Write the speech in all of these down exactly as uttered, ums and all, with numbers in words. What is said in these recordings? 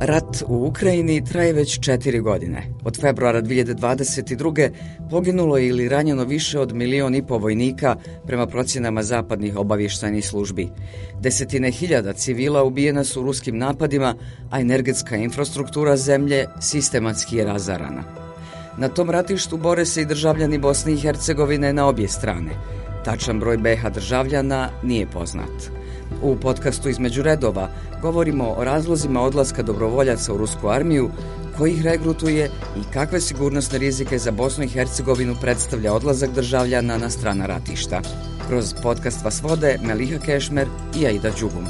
Rat u Ukrajini traje već četiri godine. Od februara dvije hiljade dvadeset druge. poginulo je ili ranjeno više od milion i po vojnika prema procjenama zapadnih obavještajnih službi. Desetine hiljada civila ubijena su ruskim napadima, a energetska infrastruktura zemlje sistematski je razarana. Na tom ratištu bore se i državljani Bosne i Hercegovine na obje strane. Tačan broj be ha državljana nije poznat. U podcastu Između redova govorimo o razlozima odlaska dobrovoljaca u rusku armiju, ko ih regrutuje i kakve sigurnosne rizike za Bosnu i Hercegovinu predstavlja odlazak državljana na strana ratišta. Kroz podcast vas vode Meliha Kešmer i Aida Đugum.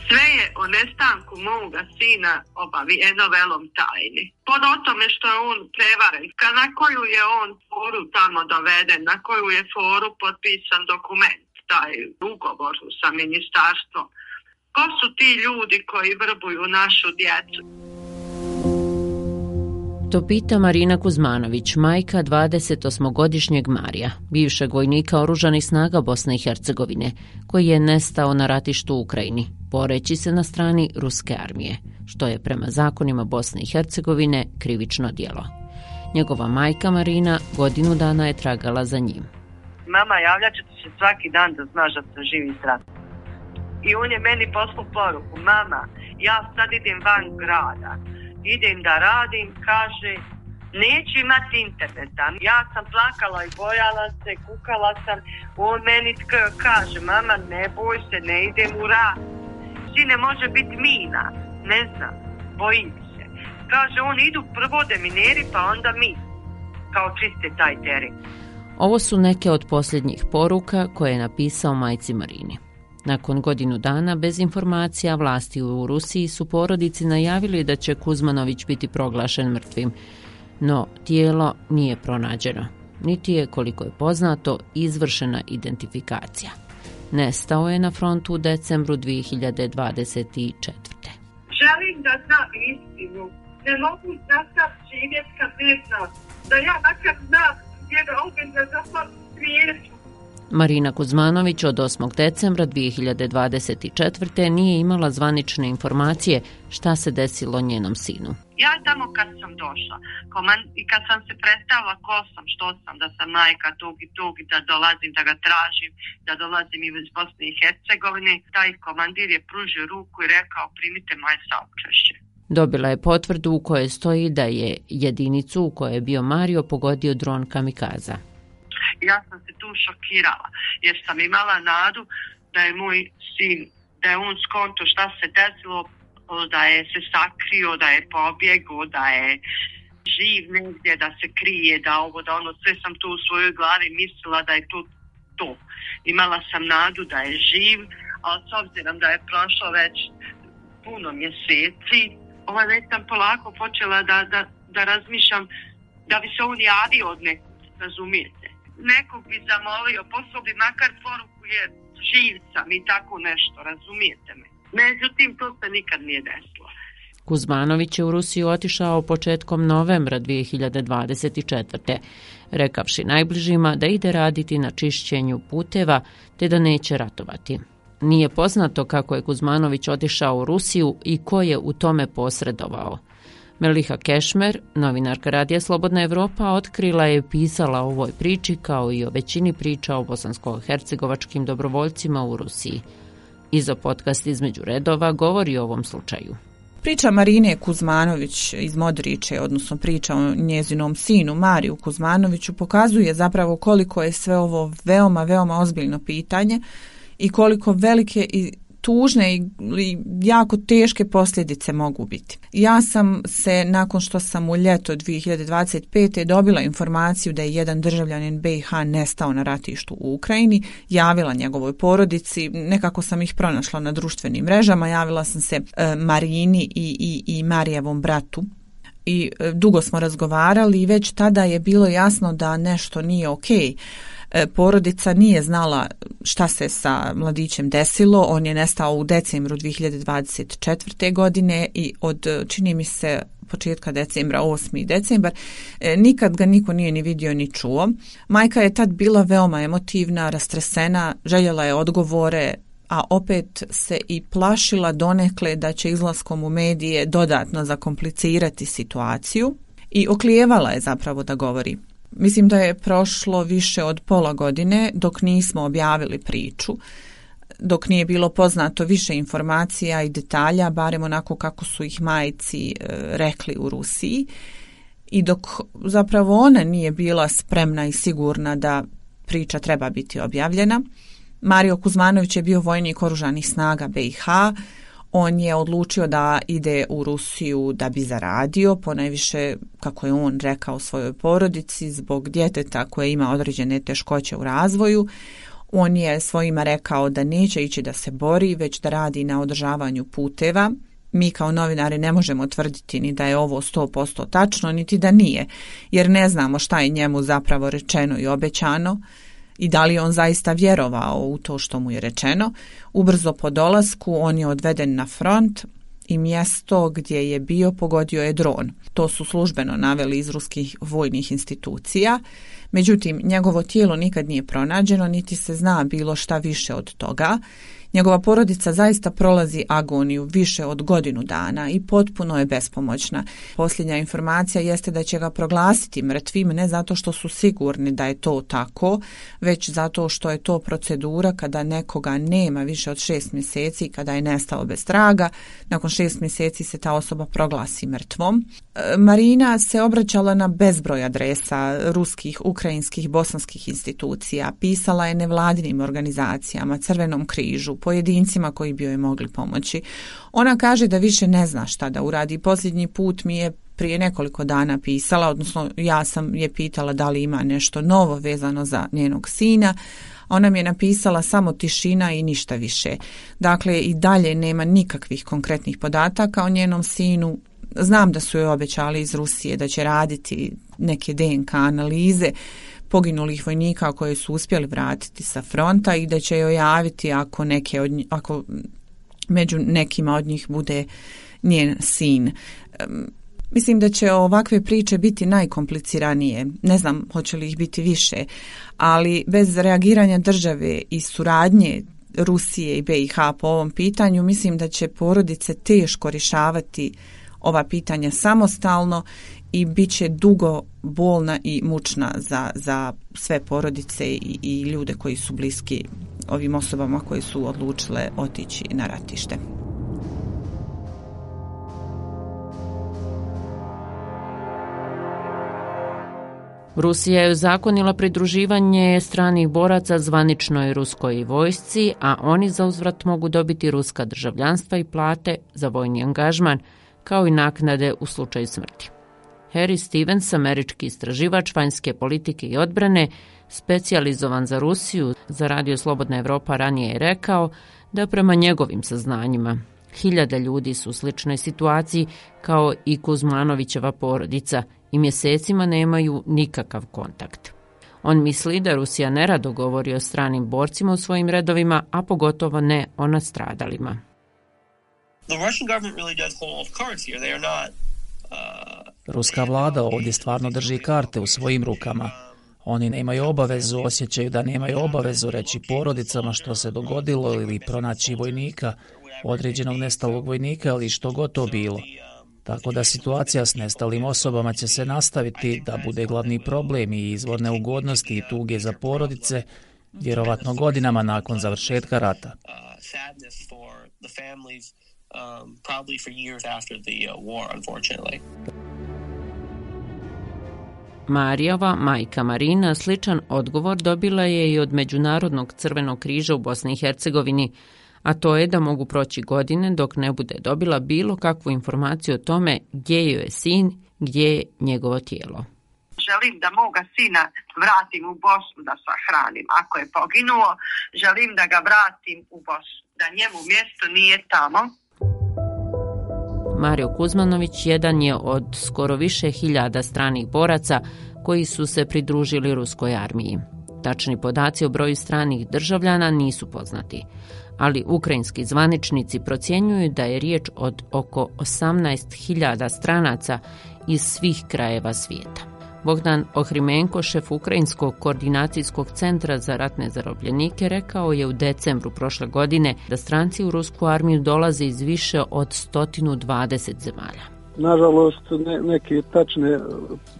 Sve je o nestanku moga sina obavijeno velom tajni. Pod o tome što je on prevaren, na koju je on foru tamo doveden, na koju je foru potpisan dokument, taj ugovor sa ministarstvom. Ko su ti ljudi koji vrbuju našu djecu? To pita Marina Kuzmanović, majka dvadesetosmogodišnjeg Marija, bivšeg vojnika oružanih snaga Bosne i Hercegovine, koji je nestao na ratištu u Ukrajini, boreći se na strani ruske armije, što je prema zakonima Bosne i Hercegovine krivično djelo. Njegova majka Marina godinu dana je tragala za njim. Mama, javljat ću ti se svaki dan da znaš da sam živi zdrav. I on je meni poslao poruku, mama, ja sad idem van grada, idem da radim, kaže, neću imati interneta. Ja sam plakala i bojala se, kukala sam, on meni kaže, mama, ne boj se, ne idem u rad. Sine, može biti mina, ne znam, bojim se. Kaže, on idu prvo demineri, pa onda mi, kao čiste taj teren. Ovo su neke od posljednjih poruka koje je napisao majci Marini. Nakon godinu dana bez informacija vlasti u Rusiji su porodici najavili da će Kuzmanović biti proglašen mrtvim, no tijelo nije pronađeno, niti je, koliko je poznato, izvršena identifikacija. Nestao je na frontu u decembru dvije hiljade dvadeset četvrte. Želim da znam istinu. Ne mogu nastav živjeti kad ne znam. Da ja makar znam gdje da ubim da zapam svijetu. Marina Kuzmanović od osmog decembra dvije hiljade dvadeset četvrte. nije imala zvanične informacije šta se desilo njenom sinu. Ja tamo kad sam došla i kad sam se predstavila ko sam, što sam, da sam majka tog i tog i da dolazim, da ga tražim, da dolazim iz Bosne i Hercegovine, taj komandir je pružio ruku i rekao primite moje saučešće. Dobila je potvrdu u kojoj stoji da je jedinicu u kojoj je bio Mario pogodio dron kamikaza. Ja sam se tu šokirala jer sam imala nadu da je moj sin, da je on skonto šta se desilo, da je se sakrio, da je pobjegao, da je živ negdje, da se krije, da ovo, da ono, sve sam tu u svojoj glavi mislila da je to to. Imala sam nadu da je živ, ali s obzirom da je prošlo već puno mjeseci, ovaj već sam polako počela da, da, da razmišljam da bi se on javio od nekog, razumijete. Nekog bi zamolio, poslao bi makar poruku je živ sam i tako nešto, razumijete me. Međutim, to se nikad nije desilo. Kuzmanović je u Rusiju otišao početkom novembra dvije hiljade dvadeset četvrte. rekavši najbližima da ide raditi na čišćenju puteva te da neće ratovati. Nije poznato kako je Kuzmanović otišao u Rusiju i ko je u tome posredovao. Meliha Kešmer, novinarka Radija Slobodna Evropa, otkrila je i pisala o ovoj priči kao i o većini priča o bosansko-hercegovačkim dobrovoljcima u Rusiji. Izo podcast Između redova govori o ovom slučaju. Priča Marine Kuzmanović iz Modriče, odnosno priča o njezinom sinu Mariju Kuzmanoviću, pokazuje zapravo koliko je sve ovo veoma, veoma ozbiljno pitanje i koliko velike i tužne i jako teške posljedice mogu biti. Ja sam se, nakon što sam u ljeto dvije hiljade dvadeset pete. dobila informaciju da je jedan državljanin be i ha nestao na ratištu u Ukrajini, javila njegovoj porodici, nekako sam ih pronašla na društvenim mrežama, javila sam se e, Marini i, i, i Marijevom bratu. I e, dugo smo razgovarali i već tada je bilo jasno da nešto nije okej. Porodica nije znala šta se sa mladićem desilo. On je nestao u decembru dvije hiljade dvadeset četvrte. godine i od, čini mi se, početka decembra, osmi decembar, nikad ga niko nije ni vidio ni čuo. Majka je tad bila veoma emotivna, rastresena, željela je odgovore, a opet se i plašila donekle da će izlaskom u medije dodatno zakomplicirati situaciju i oklijevala je zapravo da govori. Mislim da je prošlo više od pola godine dok nismo objavili priču, dok nije bilo poznato više informacija i detalja, barem onako kako su ih majci e, rekli u Rusiji, i dok zapravo ona nije bila spremna i sigurna da priča treba biti objavljena. Mario Kuzmanović je bio vojnik oružanih snaga B i H. On je odlučio da ide u Rusiju da bi zaradio, ponajviše, kako je on rekao, svojoj porodici zbog djeteta koje ima određene teškoće u razvoju. On je svojima rekao da neće ići da se bori, već da radi na održavanju puteva. Mi kao novinari ne možemo tvrditi ni da je ovo sto posto tačno, niti da nije, jer ne znamo šta je njemu zapravo rečeno i obećano i da li on zaista vjerovao u to što mu je rečeno. Ubrzo po dolasku on je odveden na front i mjesto gdje je bio pogodio je dron. To su službeno naveli iz ruskih vojnih institucija. Međutim, njegovo tijelo nikad nije pronađeno, niti se zna bilo šta više od toga. Njegova porodica zaista prolazi agoniju više od godinu dana i potpuno je bespomoćna. Posljednja informacija jeste da će ga proglasiti mrtvim, ne zato što su sigurni da je to tako, već zato što je to procedura kada nekoga nema više od šest mjeseci, kada je nestao bez traga. Nakon šest mjeseci se ta osoba proglasi mrtvom. Marina se obraćala na bezbroj adresa ruskih, ukrajinskih, bosanskih institucija, pisala je nevladinim organizacijama, Crvenom križu, pojedincima koji bi joj mogli pomoći. Ona kaže da više ne zna šta da uradi. Posljednji put mi je prije nekoliko dana pisala, odnosno ja sam je pitala da li ima nešto novo vezano za njenog sina. Ona mi je napisala samo tišina i ništa više. Dakle, i dalje nema nikakvih konkretnih podataka o njenom sinu. Znam da su joj obećali iz Rusije da će raditi neke D N K analize poginulih vojnika koje su uspjeli vratiti sa fronta i da će joj javiti ako, neke od njih, ako među nekima od njih bude njen sin. Mislim da će ovakve priče biti najkompliciranije. Ne znam hoće li ih biti više, ali bez reagiranja države i suradnje Rusije i B i H po ovom pitanju, mislim da će porodice teško rješavati ova pitanja samostalno i bit će dugo bolna i mučna za, za sve porodice i, i ljude koji su bliski ovim osobama koje su odlučile otići na ratište. Rusija je ozakonila pridruživanje stranih boraca zvaničnoj ruskoj vojsci, a oni za uzvrat mogu dobiti ruska državljanstva i plate za vojni angažman, kao i naknade u slučaju smrti. Harry Stevens, američki istraživač vanjske politike i odbrane, specijalizovan za Rusiju, za Radio Slobodna Evropa ranije je rekao da prema njegovim saznanjima hiljade ljudi su u sličnoj situaciji kao i Kuzmanovićeva porodica i mjesecima nemaju nikakav kontakt. On misli da Rusija nerado govori o stranim borcima u svojim redovima, a pogotovo ne o nastradalima. Ruska vlada ovdje stvarno drži karte u svojim rukama. Oni nemaju obavezu, osjećaju da nemaju obavezu reći porodicama što se dogodilo ili pronaći vojnika, određenog nestalog vojnika ili što god to bilo. Tako da situacija s nestalim osobama će se nastaviti da bude glavni problem i izvor neugodnosti i tuge za porodice, vjerovatno godinama nakon završetka rata. Um, probably for years after the uh, war, unfortunately. Marijova majka Marina sličan odgovor dobila je i od Međunarodnog crvenog križa u Bosni i Hercegovini, a to je da mogu proći godine dok ne bude dobila bilo kakvu informaciju o tome gdje joj je sin, gdje je njegovo tijelo. Želim da moga sina vratim u Bosnu da sahranim. Ako je poginuo, želim da ga vratim u Bosnu, da njemu mjesto nije tamo. Mario Kuzmanović jedan je od skoro više hiljada stranih boraca koji su se pridružili ruskoj armiji. Tačni podaci o broju stranih državljana nisu poznati, ali ukrajinski zvaničnici procjenjuju da je riječ od oko osamnaest hiljada stranaca iz svih krajeva svijeta. Bogdan Ohrimenko, šef Ukrajinskog koordinacijskog centra za ratne zarobljenike, rekao je u decembru prošle godine da stranci u rusku armiju dolaze iz više od sto dvadeset zemalja. Nažalost, ne, neke tačne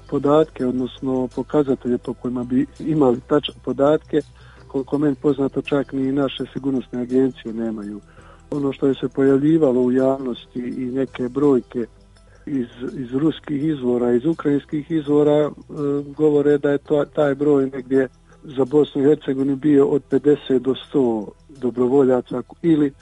podatke, odnosno pokazatelje po kojima bi imali tačne podatke, koliko meni poznato, čak ni naše sigurnosne agencije nemaju. Ono što je se pojavljivalo u javnosti i neke brojke iz, iz ruskih izvora, iz ukrajinskih izvora, e, govore da je to, taj broj negdje za Bosnu i Hercegovinu bio od pedeset do sto dobrovoljaca, ili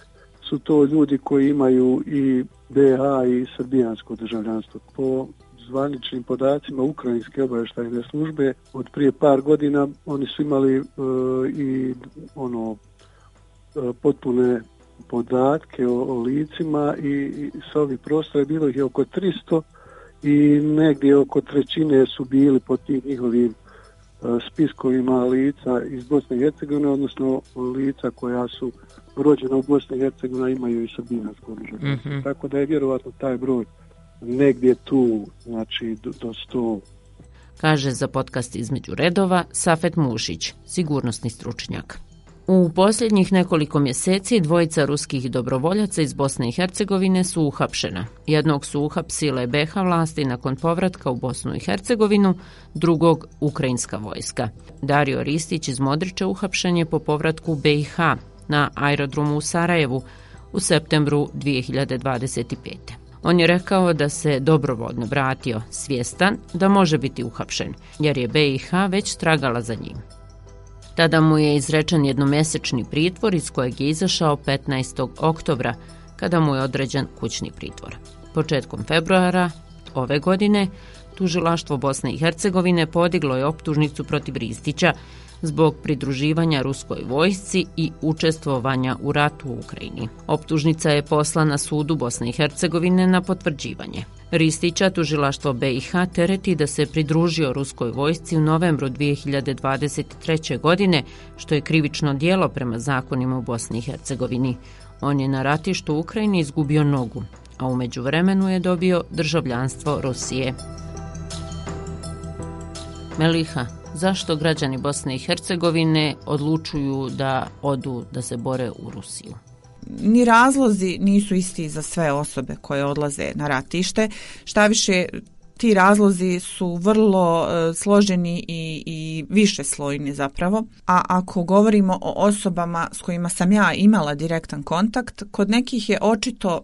su to ljudi koji imaju i be ha i srbijansko državljanstvo. Po zvaničnim podacima Ukrajinske obavještajne službe od prije par godina oni su imali e, i ono e, potpune podatke o, o licima i, i sa ovih prostora je bilo ih je oko tristo i negdje oko trećine su bili po tim njihovim e, spiskovima lica iz Bosne i Hercegovine, odnosno lica koja su rođena u Bosni i Hercegovini, imaju i srbijansko državljanstvo. Mm-hmm. Tako da je vjerovatno taj broj negdje tu, znači do, do sto. Kaže za podcast Između redova Safet Mušić, sigurnosni stručnjak. U posljednjih nekoliko mjeseci dvojica ruskih dobrovoljaca iz Bosne i Hercegovine su uhapšena. Jednog su uhapsile be ha vlasti nakon povratka u Bosnu i Hercegovinu, drugog ukrajinska vojska. Dario Ristić iz Modrića uhapšen je po povratku u be i ha na aerodromu u Sarajevu u septembru dvije hiljade dvadeset pete. On je rekao da se dobrovoljno vratio, svjestan da može biti uhapšen, jer je be i ha već tragala za njim. Tada mu je izrečen jednomjesečni pritvor iz kojeg je izašao petnaestog oktobra, kada mu je određen kućni pritvor. Početkom februara ove godine tužilaštvo Bosne i Hercegovine podiglo je optužnicu protiv Ristića zbog pridruživanja ruskoj vojsci i učestvovanja u ratu u Ukrajini. Optužnica je poslana sudu Bosne i Hercegovine na potvrđivanje. Ristića tužilaštvo be i ha tereti da se pridružio ruskoj vojsci u novembru dvije hiljade dvadeset treće. godine, što je krivično djelo prema zakonima u Bosni i Hercegovini. On je na ratištu u Ukrajini izgubio nogu, a u međuvremenu je dobio državljanstvo Rusije. Meliha, zašto građani Bosne i Hercegovine odlučuju da odu da se bore u Rusiju? Ni razlozi nisu isti za sve osobe koje odlaze na ratište. Šta više, ti razlozi su vrlo uh, složeni i, i višeslojni zapravo. A ako govorimo o osobama s kojima sam ja imala direktan kontakt, kod nekih je očito,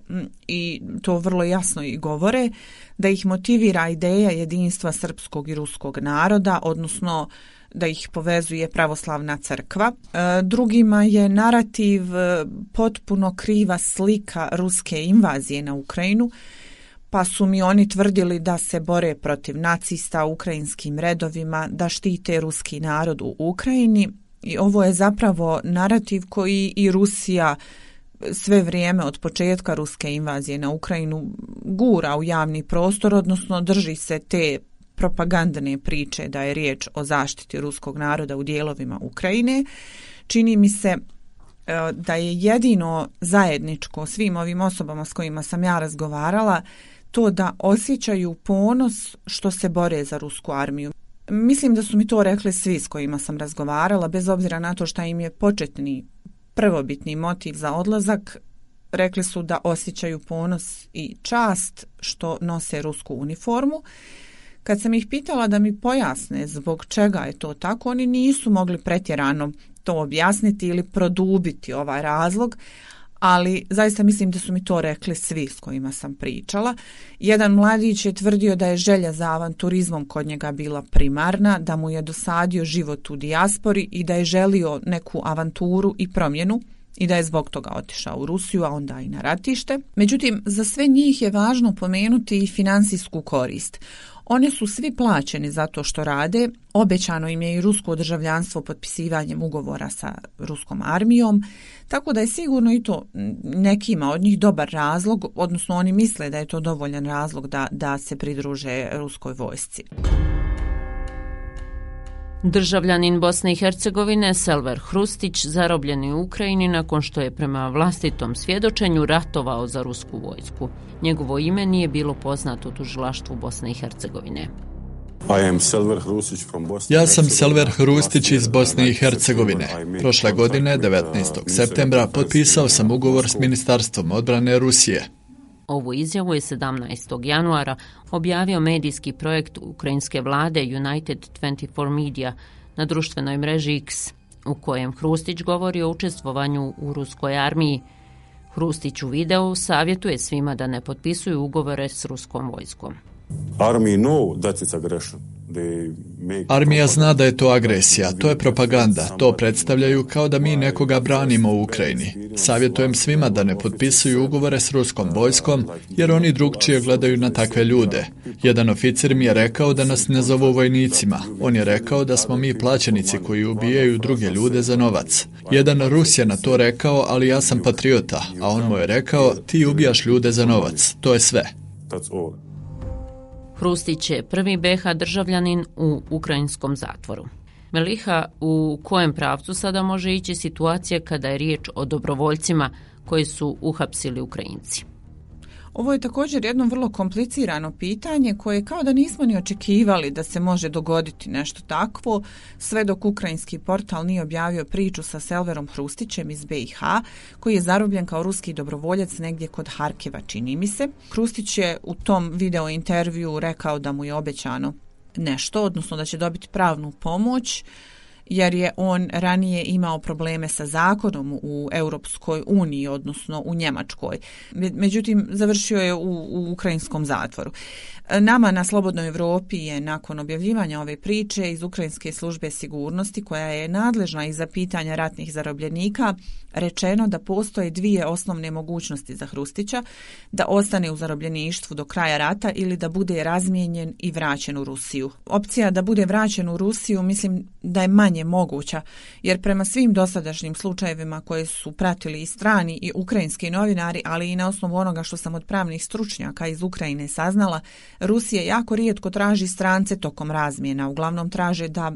i to vrlo jasno i govore, da ih motivira ideja jedinstva srpskog i ruskog naroda, odnosno da ih povezuje pravoslavna crkva. Drugima je narativ potpuno kriva slika ruske invazije na Ukrajinu, pa su mi oni tvrdili da se bore protiv nacista u ukrajinskim redovima, da štite ruski narod u Ukrajini. I ovo je zapravo narativ koji i Rusija sve vrijeme od početka ruske invazije na Ukrajinu gura u javni prostor, odnosno drži se te propagandne priče da je riječ o zaštiti ruskog naroda u dijelovima Ukrajine. Čini mi se da je jedino zajedničko svim ovim osobama s kojima sam ja razgovarala to da osjećaju ponos što se bore za rusku armiju. Mislim da su mi to rekli svi s kojima sam razgovarala, bez obzira na to šta im je početni prvobitni motiv za odlazak. Rekli su da osjećaju ponos i čast što nose rusku uniformu. Kad sam ih pitala da mi pojasne zbog čega je to tako, oni nisu mogli pretjerano to objasniti ili produbiti ovaj razlog, ali zaista mislim da su mi to rekli svi s kojima sam pričala. Jedan mladić je tvrdio da je želja za avanturizmom kod njega bila primarna, da mu je dosadio život u dijaspori i da je želio neku avanturu i promjenu i da je zbog toga otišao u Rusiju, a onda i na ratište. Međutim, za sve njih je važno pomenuti i finansijsku korist. Oni su svi plaćeni za to što rade, obećano im je i rusko državljanstvo potpisivanjem ugovora sa ruskom armijom, tako da je sigurno i to nekima od njih dobar razlog, odnosno oni misle da je to dovoljan razlog da, da se pridruže ruskoj vojsci. Državljanin Bosne i Hercegovine Selver Hrustić zarobljen je u Ukrajini nakon što je prema vlastitom svjedočenju ratovao za rusku vojsku. Njegovo ime nije bilo poznato u tužilaštvu Bosne i Hercegovine. Ja sam Selver Hrustić iz Bosne i Hercegovine. Prošle godine, devetnaestog septembra, potpisao sam ugovor s Ministarstvom odbrane Rusije. Ovu izjavu je sedamnaestog januara objavio medijski projekt ukrajinske vlade United dvadeset četiri Media na društvenoj mreži X, u kojem Hrustić govori o učestvovanju u ruskoj armiji. Hrustić u videu savjetuje svima da ne potpisuju ugovore s ruskom vojskom. Armija zna da je to agresija, to je propaganda, to predstavljaju kao da mi nekoga branimo u Ukrajini. Savjetujem svima da ne potpisuju ugovore s ruskom vojskom, jer oni drugčije gledaju na takve ljude. Jedan oficir mi je rekao da nas ne zovu vojnicima. On je rekao da smo mi plaćenici koji ubijaju druge ljude za novac. Jedan Rus je na to rekao, ali ja sam patriota, a on mu je rekao, ti ubijaš ljude za novac. To je sve. Hrustić je prvi be ha državljanin u ukrajinskom zatvoru. Meliha, u kojem pravcu sada može ići situacija kada je riječ o dobrovoljcima koji su uhapsili Ukrajinci? Ovo je također jedno vrlo komplicirano pitanje koje kao da nismo ni očekivali da se može dogoditi nešto takvo, sve dok ukrajinski portal nije objavio priču sa Selverom Hrustićem iz be i ha, koji je zarobljen kao ruski dobrovoljac negdje kod Harkeva, čini mi se. Hrustić je u tom video intervju rekao da mu je obećano nešto, odnosno da će dobiti pravnu pomoć, jer je on ranije imao probleme sa zakonom u Europskoj uniji, odnosno u Njemačkoj. Međutim, završio je u, u ukrajinskom zatvoru. Nama na Slobodnoj Evropi je nakon objavljivanja ove priče iz Ukrajinske službe sigurnosti, koja je nadležna i za pitanja ratnih zarobljenika, rečeno da postoje dvije osnovne mogućnosti za Hrustića, da ostane u zarobljeništvu do kraja rata ili da bude razmijenjen i vraćen u Rusiju. Opcija da bude vraćen u Rusiju mislim da je manje moguća, jer prema svim dosadašnjim slučajevima koje su pratili i strani i ukrajinski novinari, ali i na osnovu onoga što sam od pravnih stručnjaka iz Ukrajine saznala, Rusija jako rijetko traži strance tokom razmjena. Uglavnom traže da,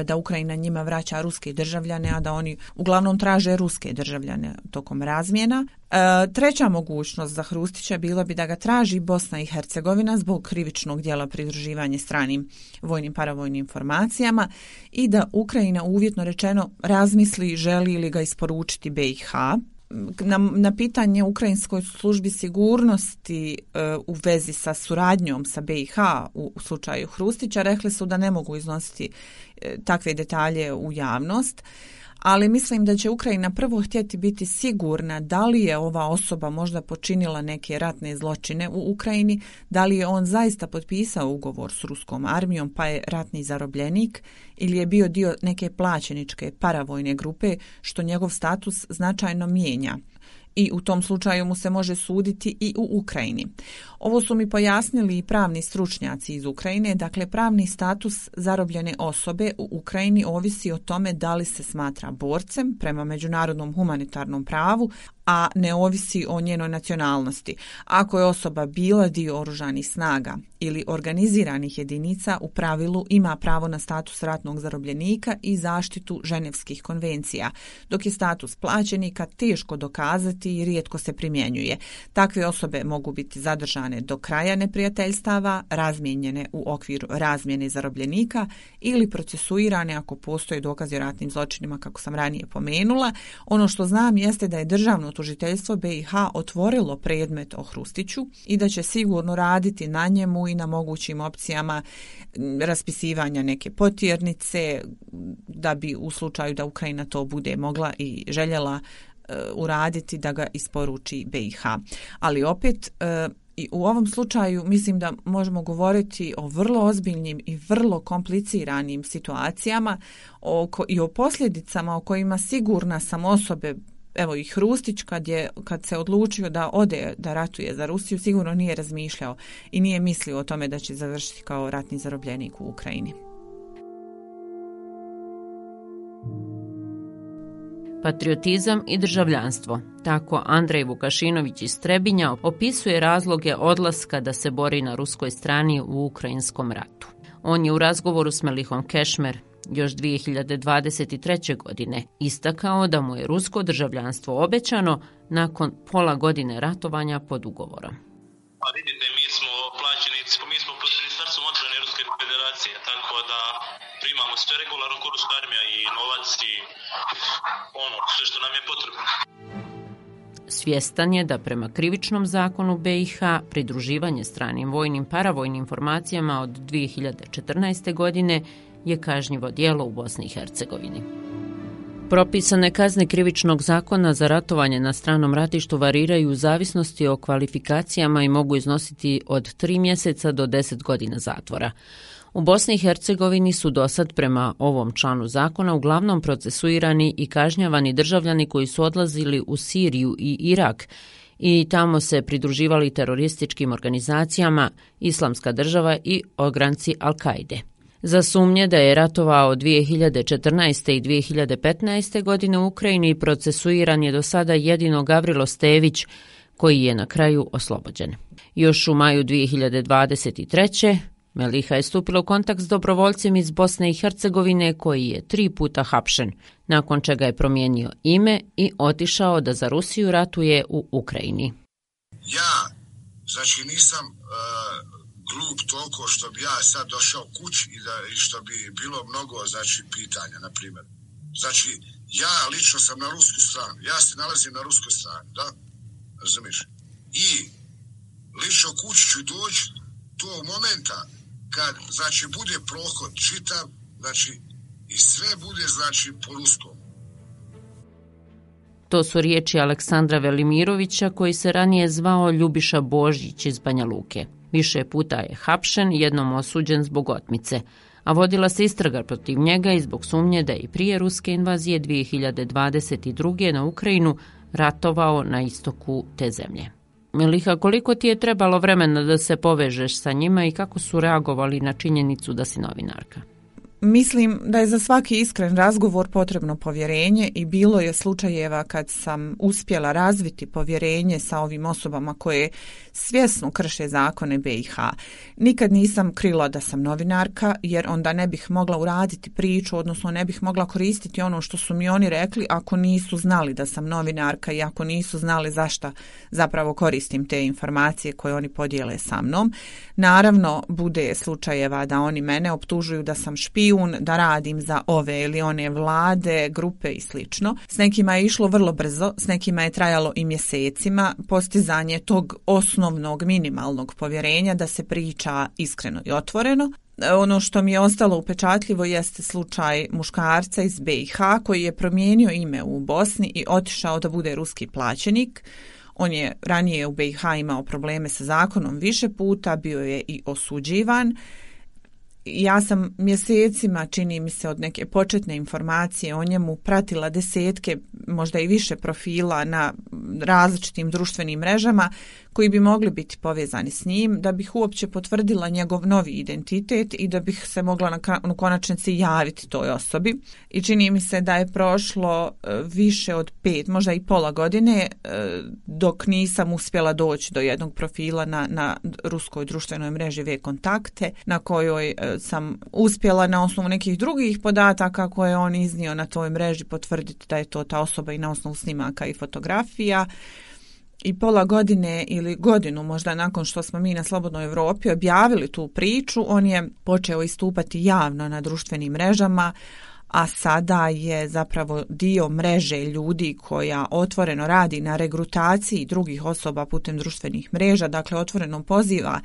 da Ukrajina njima vraća ruske državljane, a da oni uglavnom traže ruske državljane tokom razmjena. E, treća mogućnost za Hrustića bila bi da ga traži Bosna i Hercegovina zbog krivičnog djela pridruživanja stranim vojnim paravojnim formacijama i da Ukrajina uvjetno rečeno razmisli želi li ga isporučiti be i ha. Na, na pitanje Ukrajinskoj službi sigurnosti e, u vezi sa suradnjom sa be i ha u, u slučaju Hrustića rekli su da ne mogu iznositi e, takve detalje u javnost, ali mislim da će Ukrajina prvo htjeti biti sigurna da li je ova osoba možda počinila neke ratne zločine u Ukrajini, da li je on zaista potpisao ugovor s ruskom armijom pa je ratni zarobljenik ili je bio dio neke plaćeničke paravojne grupe, što njegov status značajno mijenja. I u tom slučaju mu se može suditi i u Ukrajini. Ovo su mi pojasnili i pravni stručnjaci iz Ukrajine, dakle pravni status zarobljene osobe u Ukrajini ovisi o tome da li se smatra borcem prema međunarodnom humanitarnom pravu, a ne ovisi o njenoj nacionalnosti. Ako je osoba bila dio oružanih snaga ili organiziranih jedinica, u pravilu ima pravo na status ratnog zarobljenika i zaštitu ženevskih konvencija, dok je status plaćenika teško dokazati i rijetko se primjenjuje. Takve osobe mogu biti zadržane do kraja neprijateljstava, razmijenjene u okviru razmjene zarobljenika ili procesuirane ako postoje dokazi o ratnim zločinima, kako sam ranije pomenula. Ono što znam jeste da je državno tužiteljstvo be i ha otvorilo predmet o Hrustiću i da će sigurno raditi na njemu i na mogućim opcijama raspisivanja neke potjernice, da bi u slučaju da Ukrajina to bude mogla i željela uh, uraditi, da ga isporuči be i ha. Ali opet uh, i u ovom slučaju mislim da možemo govoriti o vrlo ozbiljnim i vrlo kompliciranim situacijama oko, i o posljedicama o kojima sigurna sam osobe. Evo i Hrustić kad, je, kad se odlučio da ode da ratuje za Rusiju, sigurno nije razmišljao i nije mislio o tome da će završiti kao ratni zarobljenik u Ukrajini. Patriotizam i državljanstvo. Tako Andrej Vukašinović iz Trebinja opisuje razloge odlaska da se bori na ruskoj strani u ukrajinskom ratu. On je u razgovoru s Melihom Kešmer još dvije hiljade dvadeset treće. godine istakao da mu je rusko državljanstvo obećano nakon pola godine ratovanja pod ugovorom. Pa vidite, mi smo plaćenici, mi smo pod Ministarstvom odbrane Ruske federacije imamo sve regularno ko ruska armija i novac i ono, sve što nam je potrebno. Svjestan je da prema krivičnom zakonu B i H pridruživanje stranim vojnim paravojnim formacijama od dvije hiljade četrnaeste. godine je kažnjivo djelo u Bosni i Hercegovini. Propisane kazne krivičnog zakona za ratovanje na stranom ratištu variraju u zavisnosti o kvalifikacijama i mogu iznositi od tri mjeseca do deset godina zatvora. U Bosni i Hercegovini su dosad prema ovom članu zakona uglavnom procesuirani i kažnjavani državljani koji su odlazili u Siriju i Irak i tamo se pridruživali terorističkim organizacijama Islamska država i ogranci Al-Kaide. Za sumnje da je ratovao dvije hiljade četrnaeste. i dvije hiljade petnaeste. godine u Ukrajini procesuiran je do sada jedino Gavrilo Stević, koji je na kraju oslobođen. Još u maju dvije hiljade dvadeset treće. Meliha je stupila u kontakt s dobrovoljcem iz Bosne i Hercegovine koji je tri puta hapšen, nakon čega je promijenio ime i otišao da za Rusiju ratuje u Ukrajini. Ja, znači nisam uh, glup toliko što bi ja sad došao kući i, da, i što bi bilo mnogo znači, pitanja, na primjer. Znači, ja lično sam na rusku stranu, ja se nalazim na ruskoj strani, da? Razumiješ? I lično kući ću doći tog momenta kad, znači, bude prohod čitav, znači, i sve bude, znači, po ruskom. To su riječi Aleksandra Velimirovića, koji se ranije zvao Ljubiša Božić iz Banja Luke. Više puta je hapšen, jednom osuđen zbog otmice, a vodila se istraga protiv njega i zbog sumnje da je i prije ruske invazije dvije hiljade dvadeset druge. na Ukrajinu ratovao na istoku te zemlje. Meliha, koliko ti je trebalo vremena da se povežeš sa njima i kako su reagovali na činjenicu da si novinarka? Mislim da je za svaki iskren razgovor potrebno povjerenje i bilo je slučajeva kad sam uspjela razviti povjerenje sa ovim osobama koje svjesno krše zakone B i H. Nikad nisam krila da sam novinarka jer onda ne bih mogla uraditi priču, odnosno ne bih mogla koristiti ono što su mi oni rekli ako nisu znali da sam novinarka i ako nisu znali zašto zapravo koristim te informacije koje oni podijele sa mnom. Naravno, bude slučajeva da oni mene optužuju da sam špijun, da radim za ove ili one vlade, grupe i slično. S nekima je išlo vrlo brzo, s nekima je trajalo i mjesecima postizanje tog osnovnog minimalnog povjerenja da se priča iskreno i otvoreno. Ono što mi je ostalo upečatljivo jeste slučaj muškarca iz B i H koji je promijenio ime u Bosni i otišao da bude ruski plaćenik. On je ranije u B i H imao probleme sa zakonom više puta, bio je i osuđivan. Ja sam mjesecima, čini mi se od neke početne informacije o njemu, pratila desetke, možda i više profila na različitim društvenim mrežama koji bi mogli biti povezani s njim, da bih uopće potvrdila njegov novi identitet i da bih se mogla na konačnici javiti toj osobi. I čini mi se da je prošlo više od pet, možda i pola godine, dok nisam uspjela doći do jednog profila na, na ruskoj društvenoj mreži V-kontakte, na kojoj sam uspjela na osnovu nekih drugih podataka koje je on iznio na toj mreži potvrditi da je to ta osoba i na osnovu snimaka i fotografija. I pola godine ili godinu možda nakon što smo mi na Slobodnoj Europi objavili tu priču, on je počeo istupati javno na društvenim mrežama, a sada je zapravo dio mreže ljudi koja otvoreno radi na regrutaciji drugih osoba putem društvenih mreža, dakle otvoreno poziva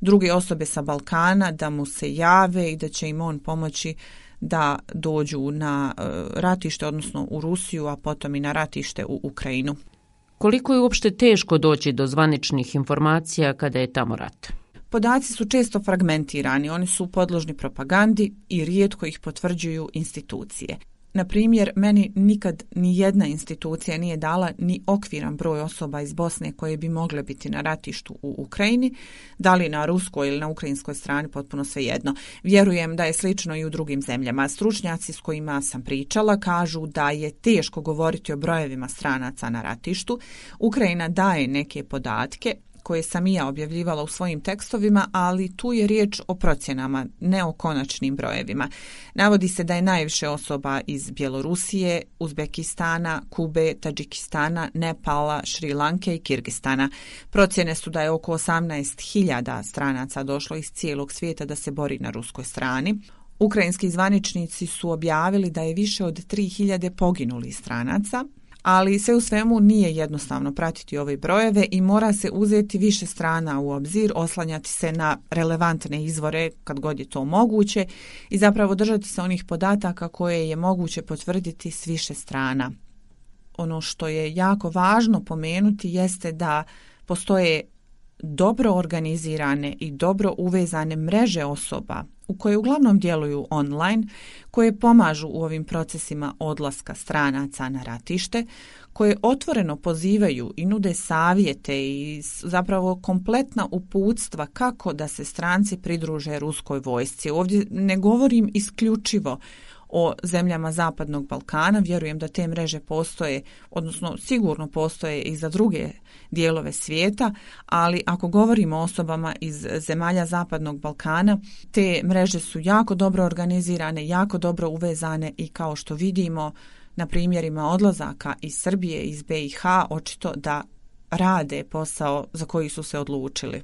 druge osobe sa Balkana da mu se jave i da će im on pomoći da dođu na ratište, odnosno u Rusiju, a potom i na ratište u Ukrajinu. Koliko je uopšte teško doći do zvaničnih informacija kada je tamo rat? Podaci su često fragmentirani, oni su podložni propagandi i rijetko ih potvrđuju institucije. Na primjer, meni nikad ni jedna institucija nije dala ni okviran broj osoba iz Bosne koje bi mogle biti na ratištu u Ukrajini, da li na ruskoj ili na ukrajinskoj strani, potpuno svejedno. Vjerujem da je slično i u drugim zemljama. Stručnjaci s kojima sam pričala kažu da je teško govoriti o brojevima stranaca na ratištu. Ukrajina daje neke podatke koje sam i ja objavljivala u svojim tekstovima, ali tu je riječ o procjenama, ne o konačnim brojevima. Navodi se da je najviše osoba iz Bjelorusije, Uzbekistana, Kube, Tadžikistana, Nepala, Šri Lanke i Kirgistana. Procjene su da je oko osamnaest hiljada stranaca došlo iz cijelog svijeta da se bori na ruskoj strani. Ukrajinski zvaničnici su objavili da je više od tri hiljade poginulih stranaca, ali sve u svemu nije jednostavno pratiti ove brojeve i mora se uzeti više strana u obzir, oslanjati se na relevantne izvore kad god je to moguće i zapravo držati se onih podataka koje je moguće potvrditi s više strana. Ono što je jako važno pomenuti jeste da postoje dobro organizirane i dobro uvezane mreže osoba u koje uglavnom djeluju online, koje pomažu u ovim procesima odlaska stranaca na ratište, koje otvoreno pozivaju i nude savjete i zapravo kompletna uputstva kako da se stranci pridruže ruskoj vojsci. Ovdje ne govorim isključivo o zemljama Zapadnog Balkana, vjerujem da te mreže postoje, odnosno sigurno postoje i za druge dijelove svijeta, ali ako govorimo o osobama iz zemalja Zapadnog Balkana, te mreže su jako dobro organizirane, jako dobro uvezane i kao što vidimo na primjerima odlazaka iz Srbije, iz be i ha, očito da rade posao za koji su se odlučili.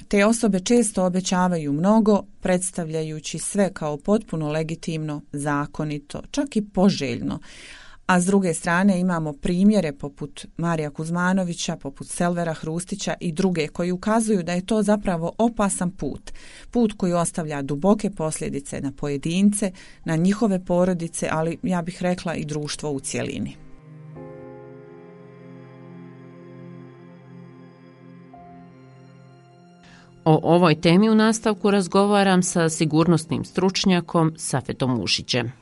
Te osobe često obećavaju mnogo, predstavljajući sve kao potpuno legitimno, zakonito, čak i poželjno. A s druge strane imamo primjere poput Marija Kuzmanovića, poput Selvera Hrustića i druge koji ukazuju da je to zapravo opasan put. Put koji ostavlja duboke posljedice na pojedince, na njihove porodice, ali ja bih rekla i društvo u cjelini. O ovoj temi u nastavku razgovaram sa sigurnosnim stručnjakom Safetom Ušićem.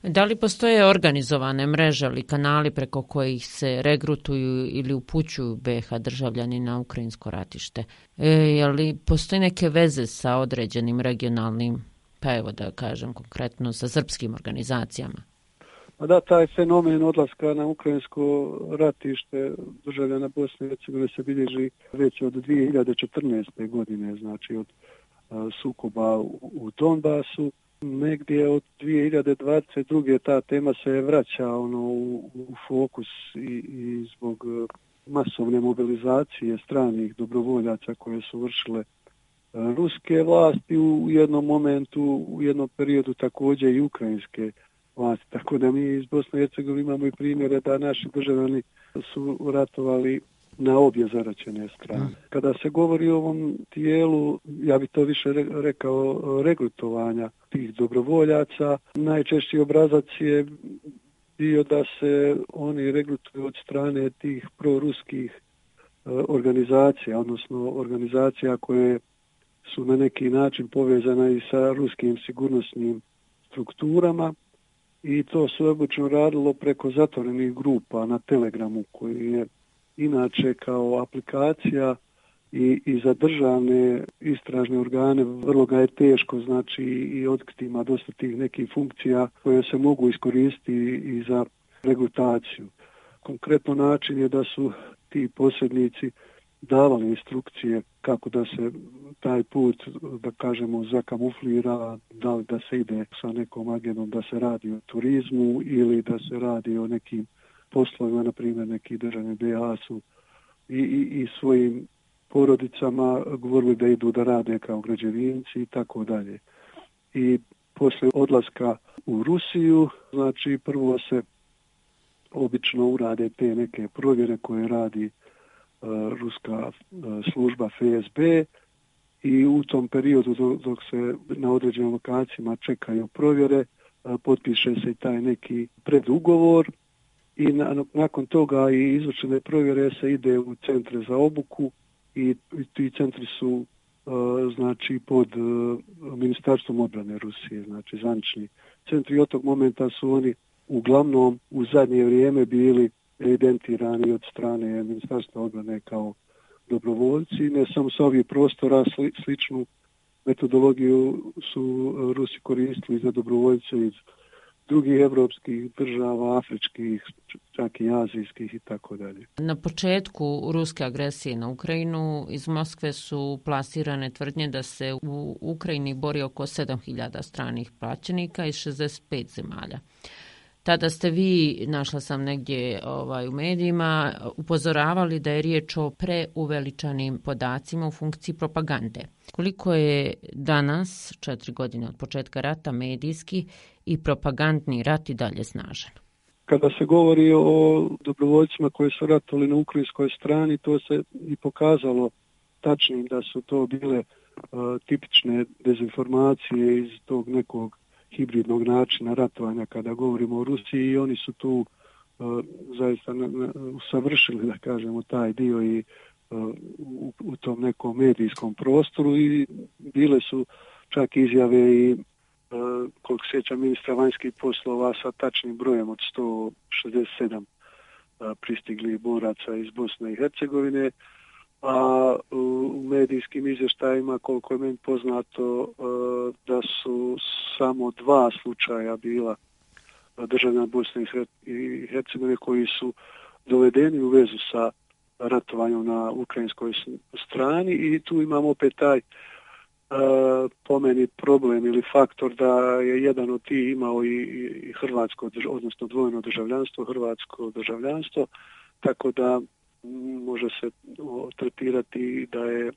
Da li postoje organizovane mreže ili kanali preko kojih se regrutuju ili upućuju be ha državljani na ukrajinsko ratište? E, je li postoje neke veze sa određenim regionalnim, pa evo da kažem konkretno sa srpskim organizacijama? Da, taj fenomen odlaska na ukrajinsko ratište državljana Bosne i Hercegovine se bilježi već od dvije hiljade četrnaeste. godine, znači od a, sukoba u, u Donbasu. Negdje od dvije hiljade dvadeset druge. ta tema se vraća ono, u, u fokus i, i zbog masovne mobilizacije stranih dobrovoljaca koje su vršile a, ruske vlasti u jednom momentu, u jednom periodu također i ukrajinske vlasti. Tako da mi iz Bosne i Hercegovine imamo i primjere da naši državljani su ratovali na obje zaraćene strane. Kada se govori o ovom dijelu, ja bih to više rekao regrutovanja tih dobrovoljaca, najčešći obrazac je bio da se oni regrutuju od strane tih proruskih organizacija, odnosno organizacija koje su na neki način povezane i sa ruskim sigurnosnim strukturama. I to se obično radilo preko zatvorenih grupa na Telegramu, koji je inače kao aplikacija i, i za državne istražne organe vrlo ga je teško, znači i otkriti ima dosta tih nekih funkcija koje se mogu iskoristiti i za regrutaciju. Konkretno način je da su ti posrednici davali instrukcije kako da se taj put, da kažemo, zakamuflira, da li da se ide sa nekom agendom da se radi o turizmu ili da se radi o nekim poslovima, na primjer neki državni be ha su i, i, i svojim porodicama govorili da idu da rade kao građevinci i tako dalje. I poslije odlaska u Rusiju, znači prvo se obično urade te neke provjere koje radi ruska služba F S B i u tom periodu dok se na određenim lokacijama čekaju provjere, potpiše se i taj neki predugovor i na, nakon toga i izvršene provjere se ide u centre za obuku i ti centri su znači pod Ministarstvom obrane Rusije, znači zvanični centri. Od tog momenta su oni uglavnom u zadnje vrijeme bili evidentirani od strane Ministarstva obrane kao dobrovoljci. Ne samo sa ovih prostora, sli, sličnu metodologiju su Rusi koristili za dobrovoljce iz drugih evropskih država, afričkih, čak i azijskih i tako dalje. Na početku ruske agresije na Ukrajinu iz Moskve su plasirane tvrdnje da se u Ukrajini bori oko sedam hiljada stranih plaćenika iz šezdeset pet zemalja. Tada ste vi, našla sam negdje ovaj, u medijima, upozoravali da je riječ o preuveličanim podacima u funkciji propagande. Koliko je danas, četiri godine od početka rata, medijski i propagandni rat i dalje snažan? Kada se govori o dobrovoljcima koji su ratovali na ukrajinskoj strani, to se i pokazalo tačnim da su to bile uh, tipične dezinformacije iz tog nekog hibridnog načina ratovanja kada govorimo o Rusiji i oni su tu uh, zaista na, na, usavršili, da kažemo, taj dio i uh, u, u tom nekom medijskom prostoru i bile su čak izjave i uh, koliko sjećam ministra vanjskih poslova sa tačnim brojem od sto šezdeset sedam uh, pristiglih boraca iz Bosne i Hercegovine, a u medijskim izvještajima, koliko je meni poznato, da su samo dva slučaja bila državljana Bosne i Hercegovine koji su dovedeni u vezu sa ratovanjem na ukrajinskoj strani i tu imamo opet taj po meni problem ili faktor da je jedan od tih imao i hrvatsko, odnosno dvojno državljanstvo, hrvatsko državljanstvo, tako da može se tretirati da je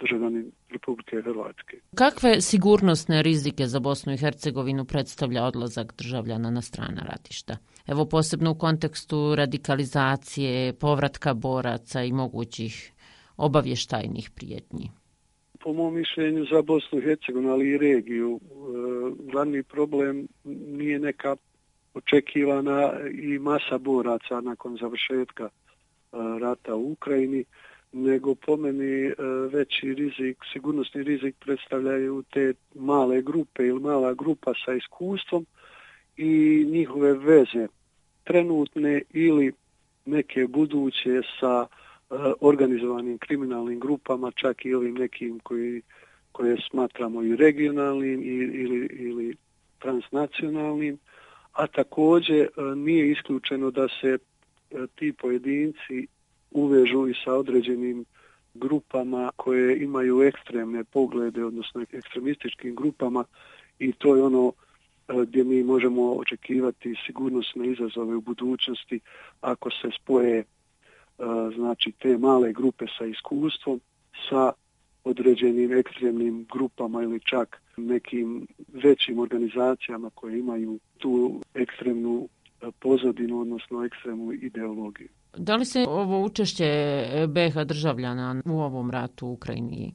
državljanin Republike Hrvatske. Kakve sigurnosne rizike za Bosnu i Hercegovinu predstavlja odlazak državljana na strana ratišta? Evo posebno u kontekstu radikalizacije, povratka boraca i mogućih obavještajnih prijetnji. Po mom mišljenju za Bosnu i Hercegovinu, ali i regiju, glavni problem nije neka očekivana i masa boraca nakon završetka rata u Ukrajini, nego po meni veći rizik, sigurnosni rizik predstavljaju te male grupe ili mala grupa sa iskustvom i njihove veze trenutne ili neke buduće sa organizovanim kriminalnim grupama, čak i ovim nekim koji, koje smatramo i regionalnim ili, ili transnacionalnim, a također nije isključeno da se ti pojedinci uvežu i sa određenim grupama koje imaju ekstremne poglede, odnosno ekstremističkim grupama i to je ono gdje mi možemo očekivati sigurnosne izazove u budućnosti ako se spoje znači te male grupe sa iskustvom sa određenim ekstremnim grupama ili čak nekim većim organizacijama koje imaju tu ekstremnu pozadinu, odnosno ekstremnu ideologiju. Da li se ovo učešće be ha državljana u ovom ratu u Ukrajini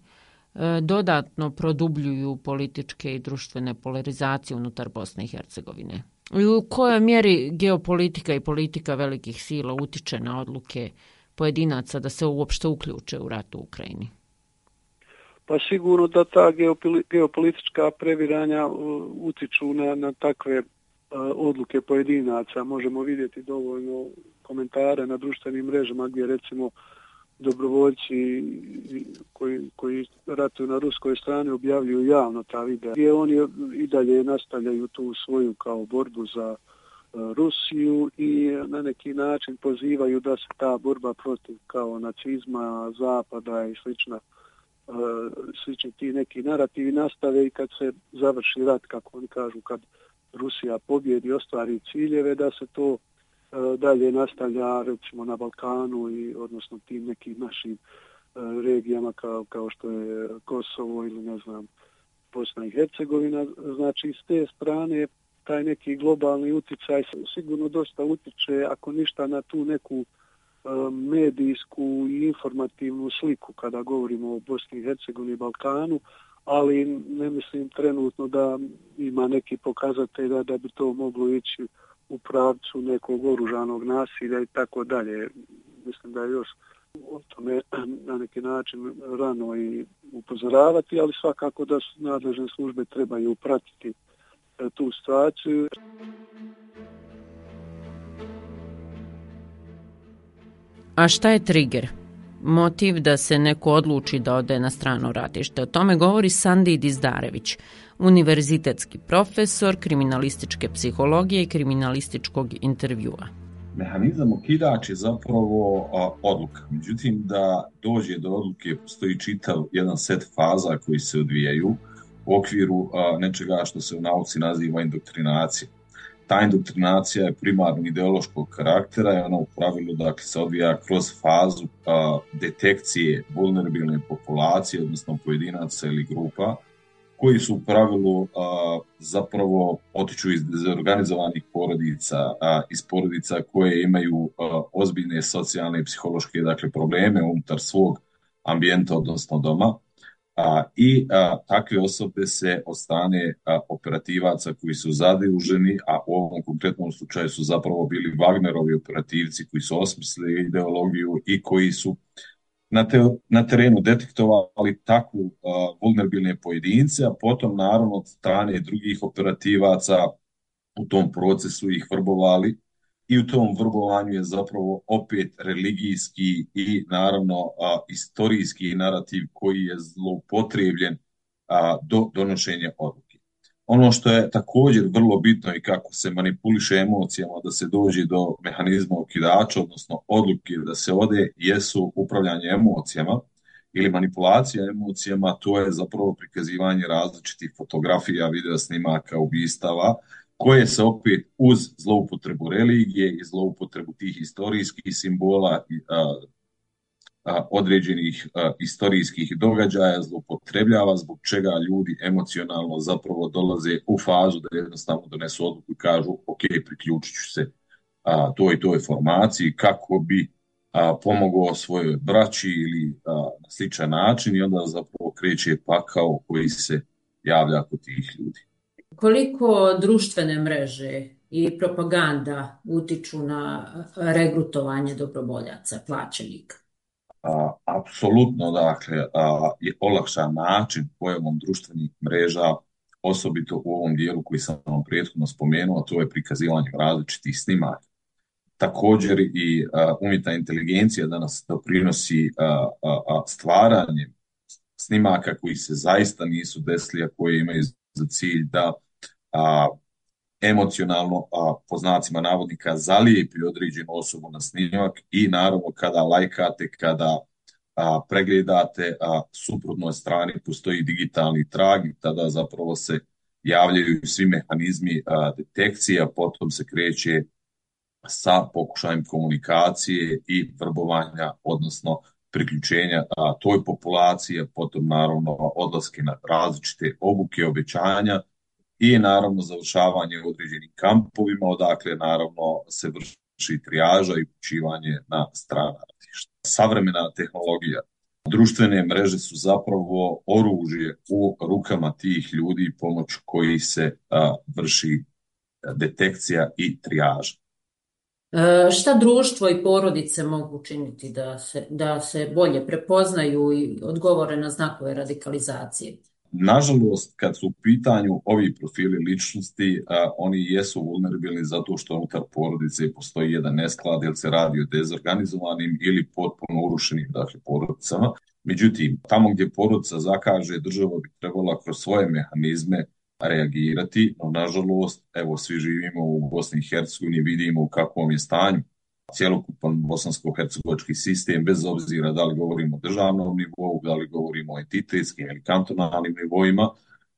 dodatno produbljuju političke i društvene polarizacije unutar Bosne i Hercegovine? I u kojoj mjeri geopolitika i politika velikih sila utiče na odluke pojedinaca da se uopšte uključe u rat u Ukrajini? Pa sigurno da ta geopolitička previranja utiču na, na takve odluke pojedinaca. Možemo vidjeti dovoljno komentare na društvenim mrežama gdje recimo dobrovoljci koji, koji ratuju na ruskoj strani objavljuju javno ta videa gdje oni i dalje nastavljaju tu svoju kao borbu za Rusiju i na neki način pozivaju da se ta borba protiv kao nacizma, zapada i slična slični ti neki narativi nastave i kad se završi rat, kako oni kažu, kad Rusija pobjedi i ostvari ciljeve, da se to uh, dalje nastavlja recimo na Balkanu i odnosno tim nekim našim uh, regijama kao, kao što je Kosovo ili ne znam Bosna i Hercegovina. Znači s te strane taj neki globalni utjecaj sigurno dosta utiče, ako ništa, na tu neku uh, medijsku i informativnu sliku kada govorimo o Bosni i Hercegovini i Balkanu, ali ne mislim trenutno da ima neki pokazatelj da, da bi to moglo ići u pravcu nekog oružanog nasilja i tako dalje. Mislim da je još o tome na neki način rano i upozoravati, ali svakako da nadležne službe trebaju pratiti tu situaciju. A šta je trigger? Motiv da se neko odluči da ode na strano ratište. O tome govori Sandi Dizdarević, univerzitetski profesor kriminalističke psihologije i kriminalističkog intervjua. Mehanizam okidač je zapravo a, odluka. Međutim, da dođe do odluke postoji čitav jedan set faza koji se odvijaju u okviru a, nečega što se u nauci naziva indoktrinacija. ta indoktrinacija je primarno ideološkog karaktera i ona u pravilu dakle, se odvija kroz fazu a, detekcije vulnerabilne populacije, odnosno pojedinaca ili grupa, koji su u pravilu a, zapravo potiču iz dezorganizovanih porodica, a, iz porodica koje imaju a, ozbiljne socijalne i psihološke dakle, probleme unutar svog ambijenta, odnosno doma. A, I a, takve osobe se od strane a, operativaca koji su zaduženi, a u ovom konkretnom slučaju su zapravo bili Wagnerovi operativci koji su osmislili ideologiju i koji su na, te, na terenu detektovali takvu a, vulnerabilne pojedince, a potom naravno od strane drugih operativaca u tom procesu ih vrbovali. I u tom vrbovanju je zapravo opet religijski i naravno a, istorijski narativ koji je zloupotrebljen a, do donošenja odluke. Ono što je također vrlo bitno i kako se manipuliše emocijama da se dođe do mehanizma okidača, odnosno odluke da se ode, jesu upravljanje emocijama ili manipulacija emocijama, to je zapravo prikazivanje različitih fotografija, video snimaka, ubistava, koje se opet uz zloupotrebu religije i zloupotrebu tih historijskih simbola i a, a, određenih a, historijskih događaja zloupotrebljava, zbog čega ljudi emocionalno zapravo dolaze u fazu da jednostavno donesu odluku i kažu ok, priključit ću se a, toj toj formaciji kako bi a, pomogao svojoj braći ili a, na sličan način i onda zapravo kreće pakao koji se javlja kod tih ljudi. Koliko društvene mreže i propaganda utiču na regrutovanje dobrovoljaca, plaćenika? A, apsolutno, dakle, a, je olakšan način pojavom društvenih mreža, osobito u ovom dijelu koji sam vam prethodno spomenuo, to je prikazivanje različitih snimaka. Također i a, umjetna inteligencija danas doprinosi a, a, a, stvaranjem snimaka koji se zaista nisu desili, a koje imaju za cilj da a, emocionalno, a, po znacima navodnika, zalijepi određenu osobu na snimak i naravno kada lajkate, kada a, pregledate, a suprotnoj strani postoji digitalni trag i tada zapravo se javljaju svi mehanizmi a, detekcije, a potom se kreće sa pokušajem komunikacije i vrbovanja, odnosno priključenja a, toj populacije, potom naravno odlaske na različite obuke, obećanja i naravno završavanje u određenim kampovima, odakle naravno se vrši trijaža i upućivanje na strana ratišta. Savremena tehnologija, društvene mreže su zapravo oružje u rukama tih ljudi pomoć koji se a, vrši detekcija i trijaža. E, šta društvo i porodice mogu učiniti da se, da se bolje prepoznaju i odgovore na znakove radikalizacije? Nažalost, kad su u pitanju ovi profili ličnosti, a, oni jesu vulnerabilni zato što unutar porodice postoji jedan nesklad, jer se radi o dezorganizovanim ili potpuno urušenim dakle, porodicama. Međutim, tamo gdje porodica zakaže, država bi trebala kroz svoje mehanizme reagirati, no nažalost, evo, svi živimo u Bosni i Hercegovini, vidimo u kakvom je stanju cjelokupan bosansko-hercegovački sistem, bez obzira da li govorimo o državnom nivou, da li govorimo o entitetskim ili kantonalnim nivoima,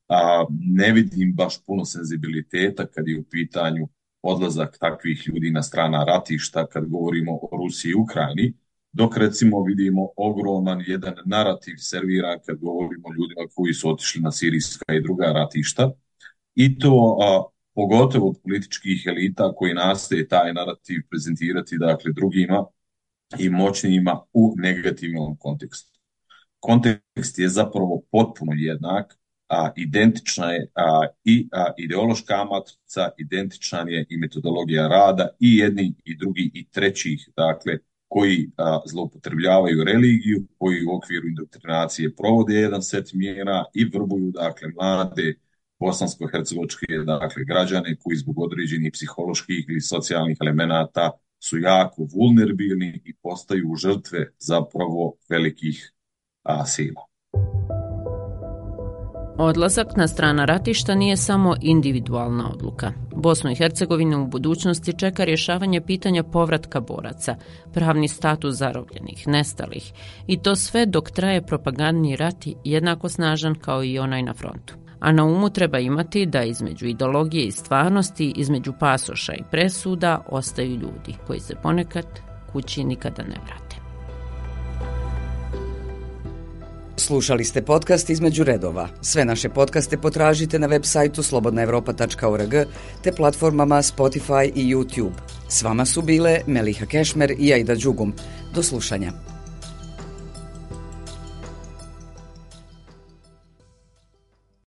a, ne vidim baš puno senzibiliteta kad je u pitanju odlazak takvih ljudi na strana ratišta, kad govorimo o Rusiji i Ukrajini, dok recimo vidimo ogroman jedan narativ serviran kad govorimo o ljudima koji su otišli na sirijska i druga ratišta, i to a, pogotovo od političkih elita koji nastoje taj narativ prezentirati dakle drugima i moćnijima u negativnom kontekstu. Kontekst je zapravo potpuno jednak, a identična je a, i a, ideološka matrica, identična je i metodologija rada i jedni i drugi i trećih, dakle, koji a, zloupotrebljavaju religiju, koji u okviru indoktrinacije provode jedan set mjera i vrbuju dakle mlade bosansko-hercegovačke dakle građane koji zbog određenih psiholoških ili socijalnih elemenata su jako vulnerabilni i postaju žrtve zapravo velikih a, sila. Odlazak na strana ratišta nije samo individualna odluka. Bosnu i Hercegovinu u budućnosti čeka rješavanje pitanja povratka boraca, pravni status zarobljenih, nestalih, i to sve dok traje propagandni rat jednako snažan kao i onaj na frontu. a na umu treba imati da između ideologije i stvarnosti, između pasoša i presuda ostaju ljudi koji se ponekad kući nikada ne vrate. Slušali ste podcast Između redova. Sve naše podcaste potražite na web sajtu slobodna evropa tačka org te platformama Spotify i YouTube. S vama su bile Meliha Kešmer i Aida Đugum. Do slušanja.